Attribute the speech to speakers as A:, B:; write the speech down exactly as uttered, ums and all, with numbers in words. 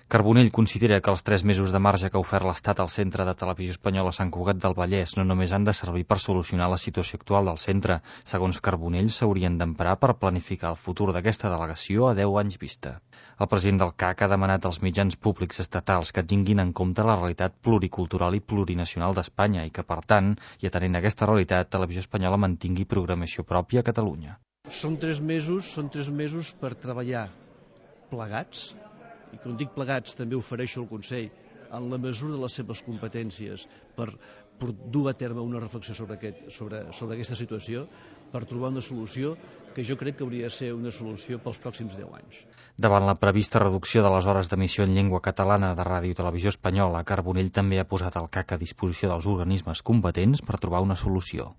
A: Carbonell considera que els tres mesos de marge que ha ofert l'Estat al Centre de Televisió Espanyola Sant Cugat del Vallès no només han de servir per solucionar la situació actual del centre. Segons Carbonell, s'haurien d'emprar per planificar el futur d'aquesta delegació a deu anys vista. El president del C A C ha demanat als mitjans públics estatals que tinguin en compte la realitat pluricultural i plurinacional d'Espanya i que, per tant, i atenent a aquesta realitat, Televisió Espanyola mantingui programació pròpia a Catalunya.
B: Són tres mesos, són tres mesos per treballar plegats, i quan dic plegats també ofereixo al Consell en la mesura de les seves competències per, per dur a terme una reflexió sobre, aquest, sobre, sobre aquesta situació, per trobar una solució que jo crec que hauria de ser una solució pels pròxims deu anys.
A: Davant la prevista reducció de les hores d'emissió en llengua catalana de Ràdio i Televisió Espanyola, Carbonell també ha posat el C A C a disposició dels organismes competents per trobar una solució.